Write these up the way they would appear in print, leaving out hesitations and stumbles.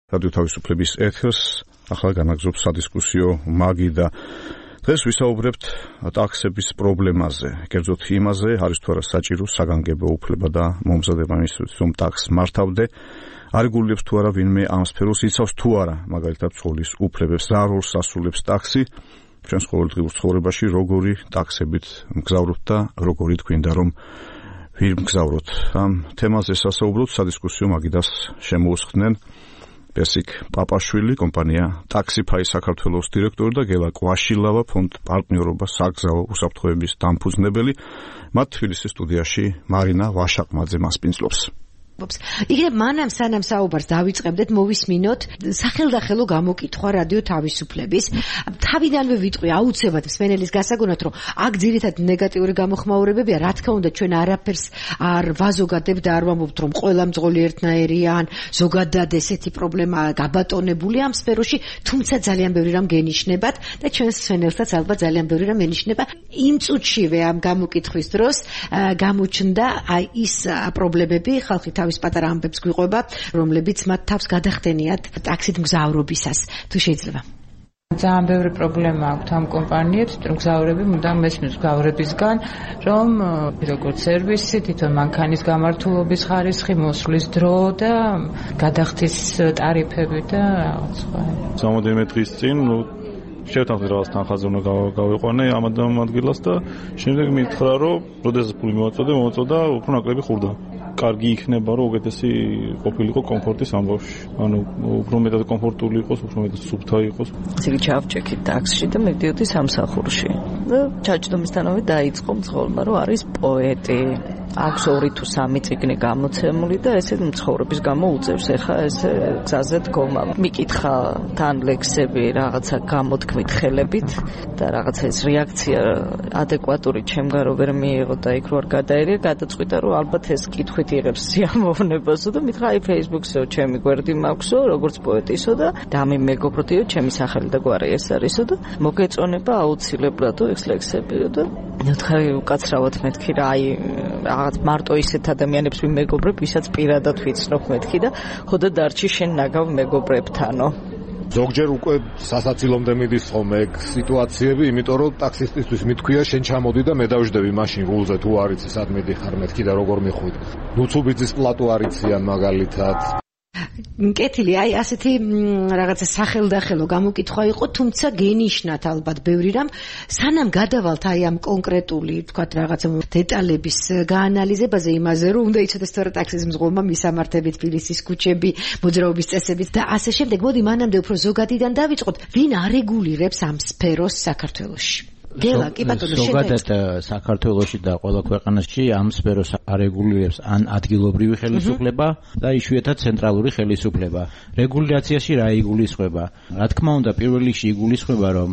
რადიო თავისუფლების ეთერს ახლა განაგზობს სადისკუსიო მაგი და დღეს ვისაუბრებთ ტაქსების პრობლემაზე, კერძოდ იმაზე, არის თუ არა საჭირო საგანგებო უფლება და მომზადება ინსტიტუტს, რომ ტაქსს მართავდე, არეგულირებს თუ არა ვინმე ამ სფეროს, იცავს თუ არა, მაგალითად ცხოვლის უფლებებს, რა როლს ასრულებს ტაქსი ჩვენს ყოველდღიურ ცხოვრებაში, როგორი ტაქსებით მგზავრობთ და როგორი თქვინდა რომ ვინ მგზავროთ. ამ თემაზე სასაუბროთ სადისკუსიო მაგიდას შემოუსხდნენ პესიკ პაპაშვილი, კომპანია ტაქსიფაი საქართველოს დირექტორი და გელა კვაშილავა, ფონდ პარტნიორობა საგზაო უსაფრთხოების დამფუძნებელი. მათ თბილისის სტუდიაში მარინა ვაშაყმაძე მასპინძლობს. იგივე მანამ სანამ საუბარს დავიწყებდეთ, მოვისმინოთ სახელდახელო გამოკითხვა რადიო თავისუფლების. თავიდანვე ვიტყვი აუცილებლად მსმენელის გასაგონად, რომ აქ ძირითადად ნეგატიური გამოხმაურებებია, რა თქმა უნდა ჩვენ არაფერს არ ვაზოგადებთ და არ ვამბობთ, რომ ყველა მძღოლი ერთნაირია ან ზოგადად ესეთი პრობლემა გაბატონებული ამ სფეროში, თუმცა ძალიან ბევრი რამ გენიშნებათ და ჩვენს მსმენელსაც ალბათ ძალიან ბევრი რამ ენიშნება. იმ წუთშივე ამ გამოკითხვის დროს გამოჩნდა ის პრობლემები, ხალხი თავის პატარა ამბებს გვიყვება, რომლებიც მათ თავს გადახდენიათ ტაქსით მგზავრობისას. თუ შეიძლება. ძალიან ბევრი პრობლემა აქვს ამ კომპანიებს, მგზავრები მუდამ მესმის მგზავრებისგან, რომ როგორც სერვისი, თვითონ მანქანის გამართულობის ხარისხი, მოსვლის დრო და გადახდის ტარიფები და რაღაც სხვა. სამოდელმე დღის წინ შევთანხმდით რაღაც თანხაზე უნდა გავიყვანე ამ ადგილას და შემდეგ მითხრა, რომ როდესაც ფული მოვაწოდა, უფრო ნაკლები ხურდა. კარგი იქნება, რომ უკეთესი ყოფილიყო კომფორტის ამბავში. ანუ უფრო მეტად კომფორტული იყოს, უფრო მეტად სუფთა იყოს. ისე ჩავჭექით ტაქსში და მივდიოდი სამსახურში. და ჩაჯდომისთანავე დაიწყო მძღოლმა, რომ არის პოეტი. აქვს 2 თუ 3 წიგნი გამოცემული და ესე მცხოვრების გამო უწევს ახლა ესე გზაზე დგომა. მიკითხა თან ლექსები რაღაცა გამოთქმით ხელებით და რაღაცა ეს რეაქცია ადეკვატური ჩემგან რო ვერ მიიღო და იქ რო არ გადაერია, გადაწყვიტა რომ ალბათ ეს კითხვით იღებს სიამოვნებასო და მითხრა აი Facebook-სო ჩემი გვერდი მაქვსო, როგორც პოეტისო და დამი მეგობროდიო, ჩემი სახელი და გვარი ეს არისო და მოგეწონება აუცილებლად ეს ლექსებიო და ნუთხარი უკაცრავად მეთქი რა აი რაღაც მარტო ისეთ ადამიანებს ვიმეგობრებ, ვისაც პირადად ვიცნობ მეთქი და ხოდა დარჩი შენ ნაგავ მეგობრებთანო. ზოგჯერ უკვე სასაცილომდე მიდის ხოლმე ეგ სიტუაციები, იმიტომ რომ ტაქსისტისთვის მithქვია შენ ჩამოდი და მე დავждები მაშინ რულზე თუ არ იცი სად მიდიხარ მეთქი და როგორ მიხვიდ. ნუცუბიძის პლატო არ იციან მაგალითად. კეთილი, აი ასეთი რაღაცა სახელდახელო გამოკითხვა იყო, თუმცა გენიშნათ ალბათ ბევრი რამ, სანამ გადავალთ აი ამ კონკრეტული, თქვათ რაღაცა დეტალების გაანალიზებაზე, იმაზე რომ უნდა იცოდეს თუ არა ტაქსის მძღოლმა მისამართები თბილისის ქუჩები, მოძრაობის წესებით და ასე შემდეგ. მოდი მანამდე უფრო ზოგადიდან დავიწყოთ, ვინ არეგულირებს ამ სფეროს საქართველოში? გელა, კი ბატონო, ზოგადად საქართველოში და ყველა ქვეყანაში ამ სფეროს არეგულირებს ან ადგილობრივი ხელისუფლება და იშვიათად ცენტრალური ხელისუფლება. რეგულაციაში რა იგულისხმება? რა თქმა უნდა, პირველ რიგში იგულისხმება, რომ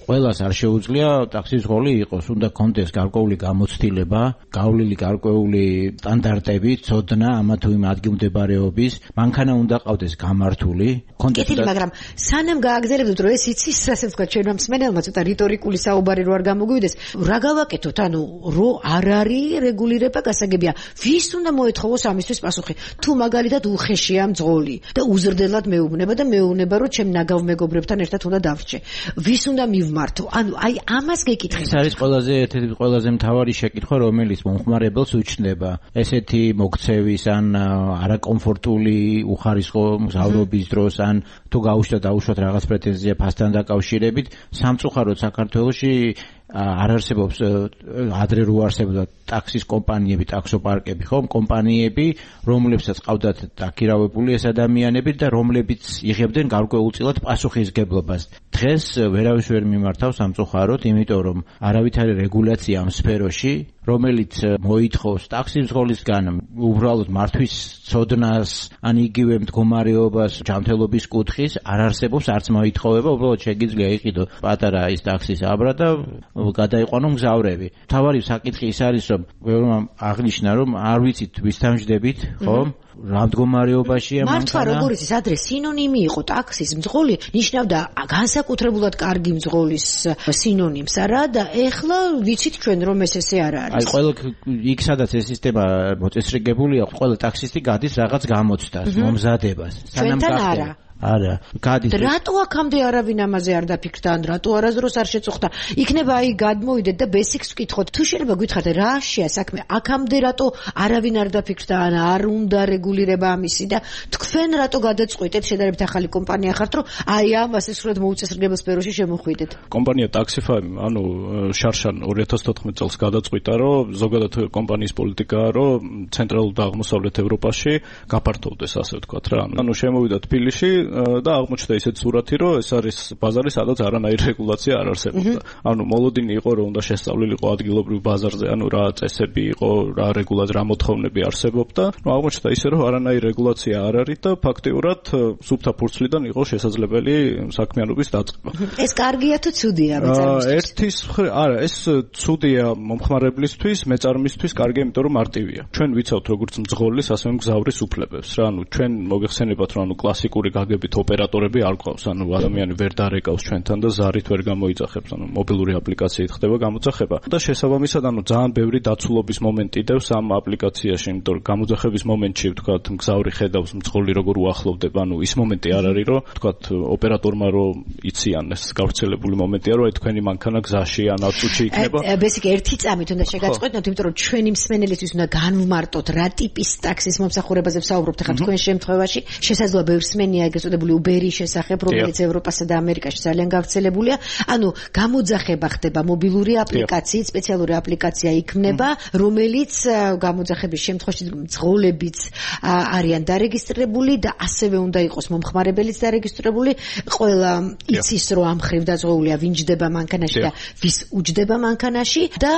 ყველას არ შეუძლია ტაქსის მძღოლი იყოს, უნდა კონდეს გარკვეული გამოცდილება, გავლილი გარკვეული სტანდარტები, ცოდნა ამა თუ იმ ადგილმდებარეობის, მანქანა უნდა ყავდეს გამართული. კეთილი, მაგრამ სანამ გააგზავნებთ, რომ ეს იცის, ასე ვთქვათ, ჩვენმა მსმენელმა ცოტა რიტორიკული საუბარი რო არ გამოგვივიდეს, რა გავაკეთოთ? ანუ რო არ არის რეგულირება გასაგებია, ვის უნდა მოეთხოვოს ამისთვის პასუხი? თუ მაგალითად უხეშია მძღოლი და უზრდელად მეუბნება და მეუბნება, რომ ჩემ ნაგავ მეგობრებთან ერთად უნდა დავრჩე. ვის უნდა მივმართო? ანუ აი ამას გეკითხეთ. ეს არის ერთ-ერთი ყველაზე მთავარი შეკითხვა, რომელიც მომხმარებელს უჩნდება. ესეთი მოქცევის ან არაკომფორტული უხარისხო მგზავრობის დროს ან თუ გაუშვათ რაღაც პრეტენზია ფასთან დაკავშირებით, სამწუხაროდ საქართველოში არ არსებობს ადრე რო არსებობდა ტაქსის კომპანიები, ტაქსოპარკები, ხომ, კომპანიები, რომლებსაც ყავდათ დაქირავებული ეს ადამიანები და რომლებიც იღებდნენ გარკვეულწილად პასუხისგებლობას. დღეს ვერავის ვერ მიმართავს სამწუხაროდ, იმიტომ რომ არავითარი რეგულაცია ამ სფეროში, რომელიც მოითხოვს ტაქსის მძღოლისგან უბრალოდ მართვის ცოდნას, ან იგივე მდგომარეობას, ჯანმრთელობის კუთხის არ არსებობს, არც მოითხოვება, უბრალოდ შეგიძლია იყიდო პატარა ის ტაქსის აბრა და გადაიყვანო მგზავრები. თავარი საკითხი ის არის, რომ აღნიშნა, რომ არ ვიცით ვისთან ვждებით, ხო? რა მდგომარეობაშია მანქანა. მართლა როგორ იცის, ადრე სინონიმი იყო ტაქსის მძღოლი, ნიშნავდა განსაკუთრებულად კარგი მძღოლის სინონიმს არა და ეხლა ვიცით ჩვენ რომ ესე არ არის. აი ყველა იქ სადაც ეს სისტემა მოწესრიგებულია, ყველა ტაქსისტი გადის რაღაც გამოცდას, მომზადებას. ჩვენთან არა. არა, გადის. რატო აქამდე არავინ ამაზე არ დაფიქრდა, ან რატო არასდროს არ შეწუხდა? იქნება აი გადმოვიდეთ და ბესიკს ვკითხოთ. თუ შეიძლება გითხრათ რა შეა საქმე, აქამდე რატო არავინ არ დაფიქრდა, ან არ უნდა რეგულირება ამისი და თქვენ რატო გადაწყვიტეთ შედარებით ახალი კომპანია ხართ, რომ აი ამას სრულად მოუწესრიგებელ სფეროში შემოხვიდეთ? კომპანია Taxify, ანუ შარშან 2014 წელს გადაწყვიტა, რომ ზოგადად კომპანიის პოლიტიკაა, რომ ცენტრალურ და აღმოსავლეთ ევროპაში გაფართოვდეს, ასე ვთქვათ რა. ანუ შემოვიდა თბილისში და აღმოჩნდა ისეთი სურათი, რომ ეს არის ბაზარი, სადაც არანაირი რეგულაცია არ არსებობდა. ანუ მოლოდინი იყო, რომ უნდა შესწავლილიყო ადგილობრივ ბაზარზე, ანუ რა წესები იყო, რა რეგულაცია, რა მოთხოვნები არსებობდა. ნუ აღმოჩნდა ისე, რომ არანაირი რეგულაცია არ არის და ფაქტიურად სუფთა ფურცლიდან იყო შესაძლებელი საქმიანობის დაწყება. ეს კარგია თუ ცუდია მეწარმისთვის? არა, ეს ცუდია მომხმარებლისთვის, მეწარმისთვის კარგია, იმიტომ რომ მარტივია. ჩვენ ვიცავთ როგორც მძღოლის, ასევე მგზავრის უფლებებს რა. ანუ ჩვენ მოგეხსენებათ, რომ ანუ კლასიკური გაგებით ოპერატორები არ ყავს, ანუ ადამიანი ვერ დარეკავს ჩვენთან და ზარით ვერ გამოიძახებს, ანუ მობილური აპლიკაციით ხდება გამოძახება. და შესაბამისად, ანუ ძალიან ბევრი დაცულობის მომენტი დევს ამ აპლიკაციაში, იმიტომ რომ გამოძახების მომენტში, ვთქვათ, მგზავრი ხედავს მძღოლი როგორ უახლოვდება, ანუ ის მომენტი არ არის, რომ ვთქვათ, ოპერატორმა რომ იციან ეს გავრცელებული მომენტია, რომ აი თქვენი მანქანა გზაში ან აწუჩი იქნება. ბესიკი ერთი წამით უნდა შეგაწყვეტნოთ, იმიტომ რომ ჩვენი მსმენელისთვის უნდა განვმარტოთ რა ტიპის ტაქსის მომსახურებაზე ვსაუბრობთ ახლა თქვენ შემთხვევაში. შესაძლოა ბევრ მსმენელია ეგრეთ წოდებული Uber-ის შესახებ, რომელიც ევროპასა და ამერიკაში ძალიან გავრცელებულია. ანუ გამოძახება ხდება მობილური აპლიკაციით, სპეციალური აპლიკაცია იქმნება, რომელიც გამოძახების შემთხვევაში მძღოლებიც არიან დარეგისტრირებული და ასევე უნდა იყოს მომხმარებელიც დარეგისტრირებული. ყველა იცის, რომ ამ ხრივ დაზღვეულია ვინ ჯდება მანქანაში და ვის უჯდება მანქანაში და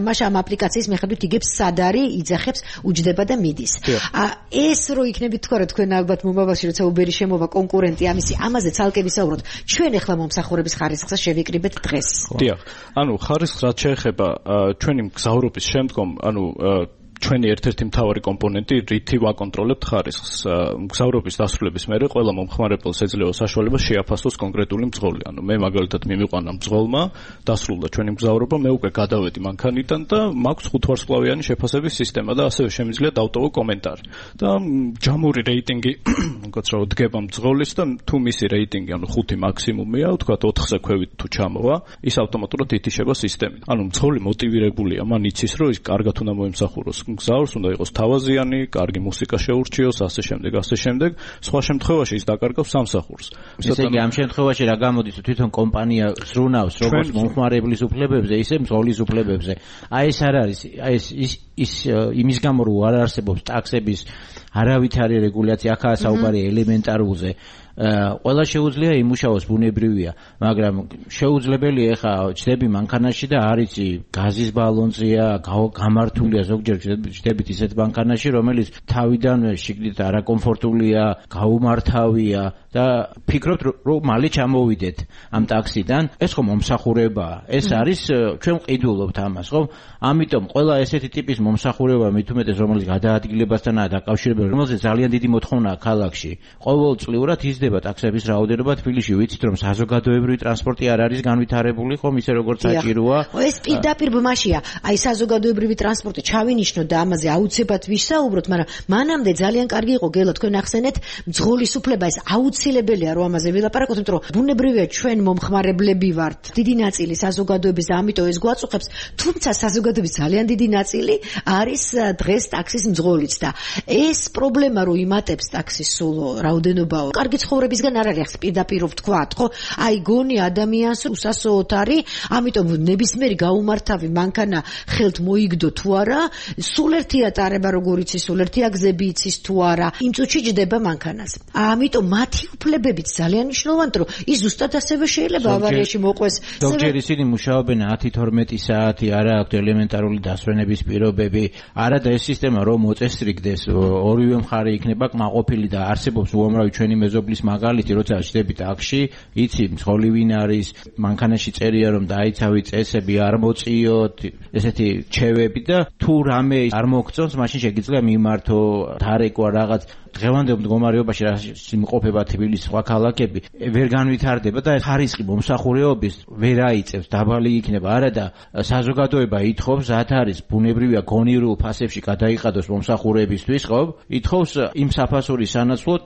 მაშ ამ აპლიკაციის მიხედვით იგებს სად არის, იძახებს, უჯდება და მიდის. ეს რო იქნებით თქვა, რომ თქვენ ალბათ მომავალში როცა Uber-ი შემოვა კონკურენტი ამაზე ცალკე ვისაუბროთ. ჩვენ ახლა მომსახურების ხარისხს შევიკრიბეთ დღეს. დიახ. ანუ ხარისხს რაც შეეხება ჩვენი მგზავრობის შემდგომ, ანუ ჩვენი ერთ-ერთი მთავარი კომპონენტი რითი ვაკონტროლებთ ხარისხს. მგზავრობის დასრულების მერე ყველა მომხმარებელს ეძლევა საშუალება შეაფასოს კონკრეტული მძღოლი. ანუ მე მაგალითად მიმიყვანა მძღოლმა, დასრულდა ჩვენი მგზავრობა, მე უკვე გადავედი მანქანიდან და მაქვს 5 ვარსკვლავიანი შეფასების სისტემა და ასევე შემიძლია დავტოვო კომენტარი. და ჯამური რეიტინგი, გოცრავ დგება მძღოლის და თუ მისი რეიტინგი, ანუ 5 მაქსიმუმია, ვთქვათ 4-ზე ქვევით თუ ჩამოვა, ის ავტომატურად ითიშება სისტემით. ანუ მძღოლი მოტივირებულია, მან იცის, რომ ის კარგად უნდა მოემსახუროს მგზავრს, უნდა იყოს თავაზიანი, კარგი მუსიკა შეურჩიოს, ასე შემდეგ. სხვა შემთხვევაში ის დაკარგავს სამსახურს. ესე იგი, ამ შემთხვევაში რა გამოდის, თვითონ კომპანია ზრუნავს როგორც მომხმარებლის უფლებებზე, ისე მძღოლის უფლებებზე. აი ეს არ არის, აი ის იმის გამო რომ არ არსებობს ტაქსების არავითარი რეგულაცია, აქაა საუბარი ელემენტარულზე. ყველა შეუძლია იმუშაოს, ბუნებრივია, მაგრამ შეუძლებელია ხა ჩდები მანქანაში და არიცი გაზის ბალონზეა, გამართულია ზოგჯერ ჩდებით ისეთ მანქანაში, რომელიც თავიდან შიგნით არაკომფორტულია, გაუმართავია და ფიქრობთ რომ მალე ჩამოვიდეთ ამ ტაქსიდან. ეს ხომ მომსახურებაა, ეს არის ჩვენ ვყიდულობთ ამას, ხო? ამიტომ ყველა ესეთი ტიპის მომსახურება მithumetes რომელიც გადაადგილებასთანაა დაკავშირებული, რომელზეც ძალიან დიდი მოთხოვნაა ქალაქში. ყოველწლიურად იზრდება ტაქსების რაოდენობა თბილისში. ვიცით რომ საზოგადოებრივი ტრანსპორტი არ არის განვითარებული, ხომ ისე როგორც საჭიროა. ეს პირდაპირ ბმაშია. აი საზოგადოებრივი ტრანსპორტი ჩავინიშნოთ და ამაზე აუცილებლად ვისაუბროთ, მაგრამ მანამდე ძალიან კარგი იყო გელა თქვენ ახსენეთ მძღოლის უფლება, ეს აუცილებელია რომ ამაზე ვილაპარაკოთ, იმიტომ რომ ბუნებრივია ჩვენ მომხმარებლები ვართ. დიდი ნაწილი საზოგადოების და ამიტომ ეს გვაწუხებს, თუმცა საზოგადოების ძალიან დიდი ნაწილი არის დღეს ტაქსის მძღოლიც და ეს პრობლემა რომ იმატებს ტაქსის სულ რაოდენობაო. კარგი ცხოვრებისგან არ არის პირდაპირ ვთქვათ, ხო? აი გონი ადამიანს უსასოოთ არის, ამიტომ ნებისმიერი გაუმართავი მანქანა ხელთ მოიგდო თუ არა, სულ ერთია ტარება როგორ იცის, სულ ერთია გზები იცის თუ არა, იმ წუთში ჯდება მანქანას. ამიტომ მათი უფლებებიც ძალიან მნიშვნელოვანია, რომ ის ზუსტად ასევე შეიძლება ავარიაში მოყვეს. ზოგჯერ ისინი მუშაობენ 10-12 საათი, არა აქვთ ელემენტარული დასვენების პირობები, არა და ეს სისტემა რომ მოწესრიგდეს, ორივე მხარე იქნება კმაყოფილი და არსებობს უამრავი ჩვენი მეზობლის არის მაგალითი, როცა შედები ტაქსში, იცი მძღოლი ვინ არის, მანქანაში წერია რომ დაიცავი წესები, არ მოწიოთ, ესეთი ჩევები და თუ რამე არ მოგწონს, მაშინ შეგიძლია მიმართო, დარეკვა რაღაც დღევანდელ მდგომარეობაში რა იმყოფება თბილისის სხვა ქალაქები ვერ განვითარდება და ხარისხი მომსახურეობის ვერ აიწევს, დაბალი იქნება. არა და საზოგადოება ითხოვს, ათ არის ბუნებრივია გონივრულ ფასებში გადაიყადოს მომსახურეებისთვის, ხო? ითხოვს იმ საფასურის სანაცვლოდ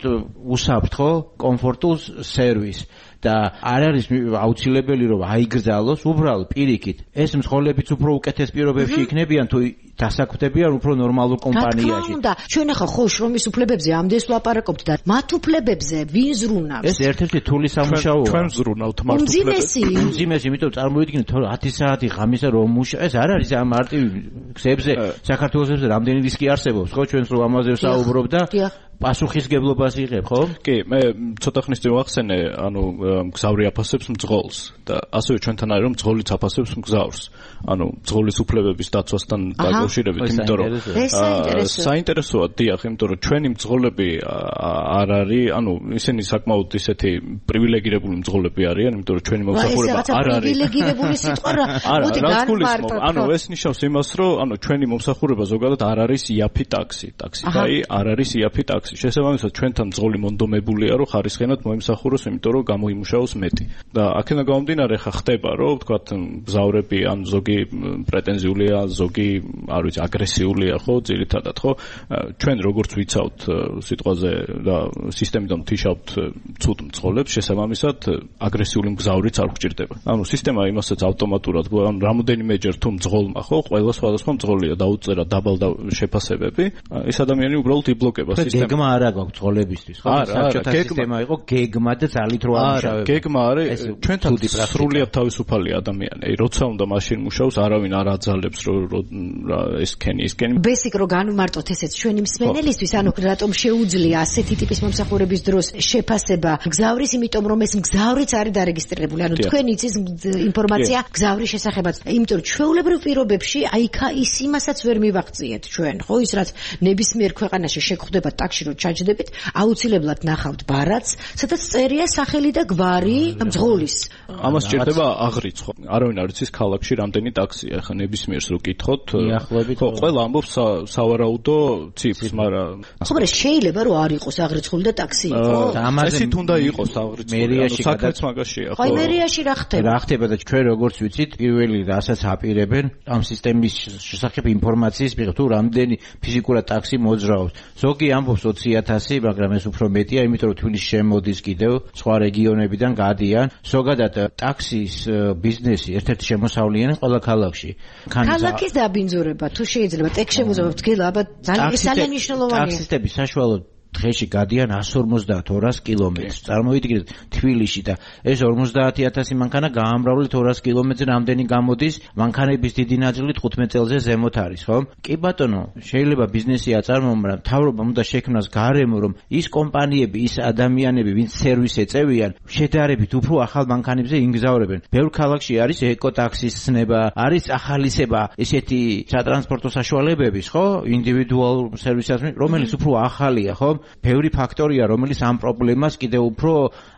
უსაფრთხო, კომფორტულ სერვისს. და არ არის აუცილებელი რომ აიგრძალოს უბრალოდ პირიქით ეს მსხოლებიც უფრო უკეთეს პირობებში იქნებიან თუ დასაქმდებიან უფრო ნორმალურ კომპანიაში. და ჩვენ ახლა ხო შრომის უფლებებზე ამდენს ვლაპარაკობთ და მათ უფლებებზე ვინ ზრუნავს? ეს ერთ-ერთი თული სამუშაოა. ჩვენ ზრუნავთ მათ უფლებებზე. უმძიმესი, იმიტომ წარმოიდგინეთ 10 საათი ღამისა რომ მუშაობ. ეს არ არის ამ მარტივ გზებზე საქართველოს რამდენი რისკი არსებობს, ხო? ჩვენს რო ამაზე ვსაუბრობ და პასუხისგებლობას იღებ, ხო? კი, მე ცოტა ხნის წინ ვახსენე, ანუ მგზავრი აფასებს მძღოლს და ასევე ჩვენთან არის რომ მძღოლიც აფასებს მგზავრს. ანუ მძღოლის უფლებების დაცვასთან დაკავშირებით, იმიტომ რომ საინტერესოა, დიახ, იმიტომ რომ ჩვენი მძღოლები არ არის, ანუ ისინი საკმაოდ ისეთი პრივილეგირებული მძღოლები არიან, იმიტომ რომ ჩვენი მომსახურება არ არის პრივილეგირებული სიტყვა რა. მოდი განმარტოთ. ანუ ეს ნიშნავს იმას, რომ ანუ ჩვენი მომსახურება ზოგადად არ არის იაფი ტაქსი. ტაქსიკაი არ არის იაფი ტაქსი. შესაბამისად ჩვენთან მძღოლი მონდომებულია რომ ხარისხენად მოიმსახუროს, იმიტომ რომ გამოიმუშაოს მეტი. და აქედან გამომდინარე ხა ხდება რომ ვთქვათ მგზავრები ან ზოგი პრეტენზიულია, ზოგი არ ვიცი აგრესიულია, ხო, ძირითადად, ხო? ჩვენ როგორც ვიცავთ სიტყვაზე და სისტემიდან ვთიშავთ ცუდ მძღოლებს, შესაბამისად აგრესიული მგზავრიც არ გვჭირდება. ანუ სისტემა იმასაც ავტომატურად ან რამოდენიმეჯერ თუ მძღოლმა, ხო, ყველა სხვადასხვა მძღოლია დაუწერა დაბალ შეფასებები, ეს ადამიანი უბრალოდ იბლოკება სისტემას. გეგმა არა გვაქვს მძღოლებისთვის, ხო? საერთოდ სისტემა იყო გეგმა და ძალით რო ამუშავებდა. გეგმა არის ჩვენთან სრულიად თავისუფალი ადამიანი. როცა უნდა მაშინ მუშაობს, არავინ არ აძალებს რომ ეს კენი. ბესიკ რო განვმარტოთ ესეც ჩვენი მსმენელისთვის, ანუ რატომ შეუძლია ასეთი ტიპის მომსახურების დროს შეფასება მგზავრის, იმიტომ რომ ეს მგზავრიც არის დარეგისტრირებული. ანუ თქვენ იცის ინფორმაცია მგზავრის შესახებაც. იმიტომ რომ ჩვეულებრივ პირობებში აიქა ის იმასაც ვერ მივაღწიეთ ჩვენ, ხო? ის რაც ნებისმიერ ქვეყანაში შეგხვდება ტაქსში რომ ჩაჯდებით, აუცილებლად ნახავთ ბარათს, სადაც წერია სახელი და გვარი მძღოლის. ამას ჭირდება აღრიცხვა. არავინ არ იცის ქალაქში რამდენი ტაქსია. ახლა ნებისმიერს რო გითხოთ, ხო, ყველა ამბობს სავარაუდო ციფრს, მაგრამ ხო, მაგრამ შეიძლება რომ არ იყოს აღრიცხული და ტაქსი იყოს. ესეთ უნდა იყოს აღრიცხული. ანუ საქმეც მაგაშია, ხო? აი მერიაში რა ხდება? რა ხდება და ჩვენ როგორც ვიცით, პირველი რასაც აპირებენ ამ სისტემის შესახებ ინფორმაციის მიღება, თუ რამდენი ფიზიკურად ტაქსი მოძრაობს. ზოგი ამბობს 20,000, მაგრამ ეს უფრო მეტია, იმიტომ რომ თბილისში შემოდის კიდევ სხვა რეგიონებიდან გადიან. ზოგადად ტაქსის ბიზნესი ერთ-ერთი შემოსავლიანი ყველა ქალაქში. ქალაქის დაბინძურება თუ შეიძლება ტექშემოძრაობა დგელა, აბა ძალიან მნიშვნელოვანია. ტაქსისტები საშუალოდ დღეში გადიან 150-200 კილომეტრს. წარმოიდგინეთ თბილისში და ეს 50,000 მანქანა გაამრავლეთ 200 კილომეტრზე რამდენი გამოდის, მანქანების დიდი ნაწილი 15 წელზე ზემოთ არის, ხო? კი ბატონო, შეიძლება ბიზნესი აწარმოო, მაგრამ მთავრობამ უნდა შექმნას გარემო, რომ ის კომპანიები, ის ადამიანები, ვინც სერვისს ეწევიან, შედარებით უფრო ახალ მანქანებზე იმგზავრებენ. ბევრ ქალაქში არის ეკოტაქსის ცნება, არის ახალისება ესეთი სატრანსპორტო საშუალებების, ხო? ინდივიდუალურ სერვისებს, რომელიც უფრო ახალია, ხო? ბევრი ფაქტორია, რომელიც ამ პრობლემას კიდევ უფრო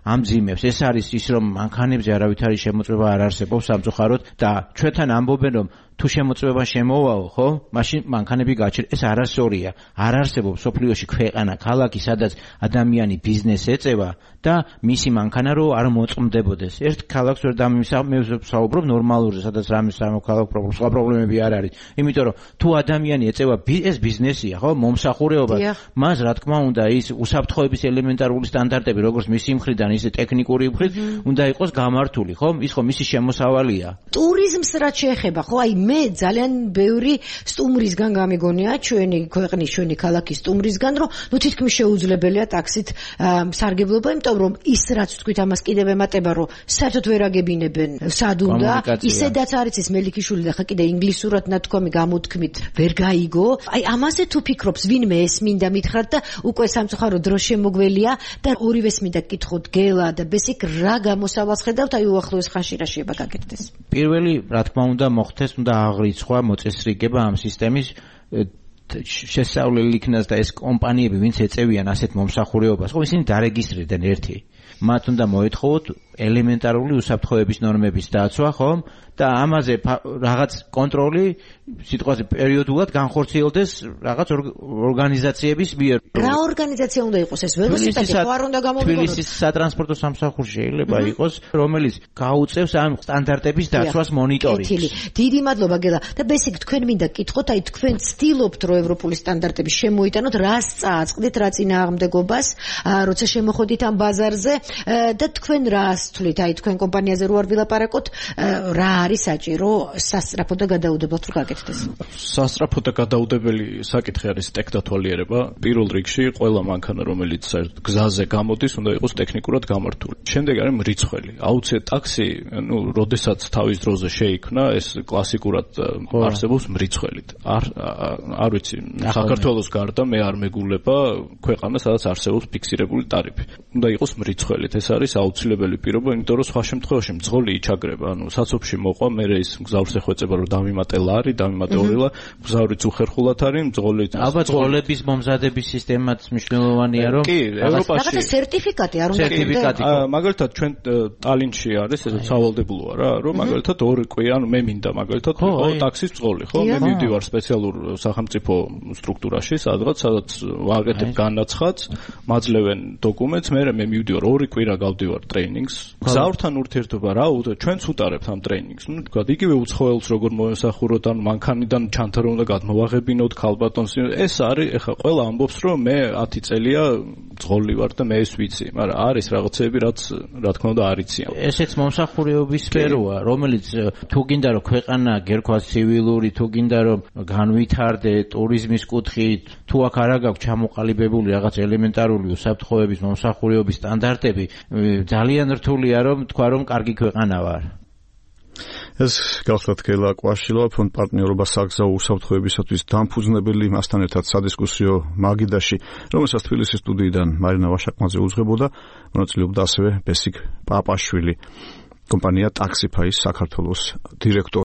ამძიმებს. ეს არის ის, რომ მანქანებზე არავითარი შემოწმება არ არსებობს სამწუხაროდ და ჩვენთან ამბობენ, რომ თუ შემოწმება შემოვაო, ხო? მაშინ მანქანები გაჩერდა. ეს არასწორია. არ არსებობს სოფლიოში ქვეყანა, ქალაქი, სადაც ადამიანი ბიზნესს ეწევა და მისი მანქანა რო არ მოწმდებოდეს. ერთ ქალაქს ვერ დამისაუბრებ ნორმალურზე, სადაც რამის სამოქალაქო პრობლემა, სხვა პრობლემები არ არის. იმიტომ რომ თუ ადამიანი ეწევა ეს ბიზნესია, ხო? მომსახურეობა, მას რა თქმა უნდა ის უსაფრთხოების ელემენტარული სტანდარტები, როგორც მისი მხრიდან, ისე ტექნიკური მხრით, უნდა იყოს გამართული, ხო? ის ხო მისი შემოსავალია. ტურიზმს რაც შეეხება, ხო? აი მე ძალიან ბევრი სტუმრისგან გამიგონია ჩვენი ქვეყნის, ჩვენი ქალაქის სტუმრისგან, რომ ნუ თითქმის შეუძლებელია ტაქსით სარგებლობა, იმიტომ რომ ის რაც თქვით ამას კიდევ ემატება, რომ საერთოდ ვერ აგებინებენ სად უნდა, ისედაც არის ის მელიქიშვილი და ხა კიდე ინგლისურად ნათქვამი გამოთქმით ვერ გაიგო. აი ამაზე თუ ფიქრობს ვინმე ეს მინდა მითხრათ და უკვე სამწუხარო დრო შემოგველია და ორივეს მინდა გკითხოთ გელა და ბესიკ რა გამოსავალს ხედავთ აი უახლოეს ხანში რა შეიძლება გაკეთდეს? პირველი რა თქმა უნდა მოხდეს, უნდა აღრიცხვა, მოწესრიგება ამ სისტემის შესწავლილი იქნას და ეს კომპანიები ვინც ეწევიან ასეთ მომსახურეობას, ხო ისინი დარეგისტრირდნენ ერთი. მათ უნდა მოეთხოვოთ ელემენტარული უსაფრთხოების ნორმების დაცვა, ხომ? და ამაზე რაღაც კონტროლი სიტყვაზე პერიოდულად განხორციელდეს რაღაც ორგანიზაციების მიერ. რა ორგანიზაცია უნდა იყოს ეს? ველოსიპედი ხო არ უნდა გამოვიყენოს? თბილისის სატრანსპორტო სამსახური შეიძლება იყოს, რომელიც გაუწევს ამ სტანდარტების დაცვას მონიტორინგს. დიდი მადლობა გელა. და ბესიკ თქვენ მინდა გკითხოთ, აი თქვენ ცდილობთ რომ ევროპული სტანდარტები შემოიტანოთ, რას წააწყდით, რა წინააღმდეგობას, როცა შემოხვედით ამ ბაზარზე და თქვენ რას თვლით, აი თქვენ კომპანიაზე რო არ ვილაპარაკოთ, რა არის საჭირო სასწრაფო და გადაუდებელთ რომ გაკეთდეს? სასწრაფო და გადაუდებელი საკითხი არის ტექნათვალიერება. პირველ რიგში ყველა მანქანა, რომელიც გზაზე გამოდის, უნდა იყოს ტექნიკურად გამართული. შემდეგ არის მრიცხველი. აუცილებლად ტაქსი, როდესაც თავის დროზე შეიქმნა, ეს კლასიკურად არსებობს მრიცხველით. არ ვიცი, საქართველოს გარდა მე არ მეგულება ქვეყანა, სადაც არსებობს ფიქსირებული ტარიფი. უნდა იყოს მრიცხველით. ეს არის აუცილებელი პირობა, იმიტომ რომ სხვა შემთხვევაში მძღოლი იჩაგრება. საცობში მოყვა, მე ის მგზავრს ეხვეწება, რომ დამიმატელა არის, დამიმატეორილა, მგზავრიც უხერხულად არის, მძღოლი. ალბათ მძღოლების მომზადების სისტემაც მნიშვნელოვანია, რომ ევროპაში რაღაცა სერტიფიკატი არ უნდა გქონდეს. მაგალითად ჩვენ ტალინში არის ეს სავალდებულოა რა, რომ მაგალითად 2 კვირა, ანუ მე მინდა მაგალითად ტაქსის მძღოლი, ხო? მე მივდივარ სპეციალურ სახელმწიფო სტრუქტურაში, სადაც ვაკეთებ განაცხადს, მაძლევენ დოკუმენტს, მე მივდივარ 2 კვირა გავდივარ ტრეინინგს. გზავრთან ურთიერთობა რა, ჩვენც უტარებთ ამ ტრეინინგს. თქვა, იგივე უცხოელს როგორ მოესახუროთ, ან მანქანიდან ჩანთარო უნდა გადმოვაღებინოთ ქალბატონს. ეს არის, ეხლა ყველა ამბობს, რომ მე 10 წელია მძღოლი ვარ და მე ეს ვიცი, მაგრამ არის რაღაცები, რაც რა თქმა უნდა არ იციან. ესეც მომსახურეობის სფეროა, რომელიც თუ გინდა რომ ქვეყანა გერქვას ცივილური, თუ გინდა რომ განვითარდე ტურიზმის კუთხით, თუ აქ არ აქვს ჩამოყალიბებული რაღაც ელემენტარული უსაფრთხოების მომსახურეობის სტანდარტები, ძალიან რთულია რომ თქვა რომ კარგი ქვეყანა ვარ. ეს გახლავთ გელა კვაშილა, ფონდ პარტნიორობა საგზაო უსაფრთხოებისათვის დამფუძნებელი, მასთან ერთად სადისკუსიო მაგიდაში, რომელსაც თბილისის სტუდიიდან მარინა ვაშაკმაძე უძღვებოდა, მონაწილეობდა ასევე ბესიკ პაპაშვილი, კომპანია ტაქსიფაის საქართველოს დირექტორი.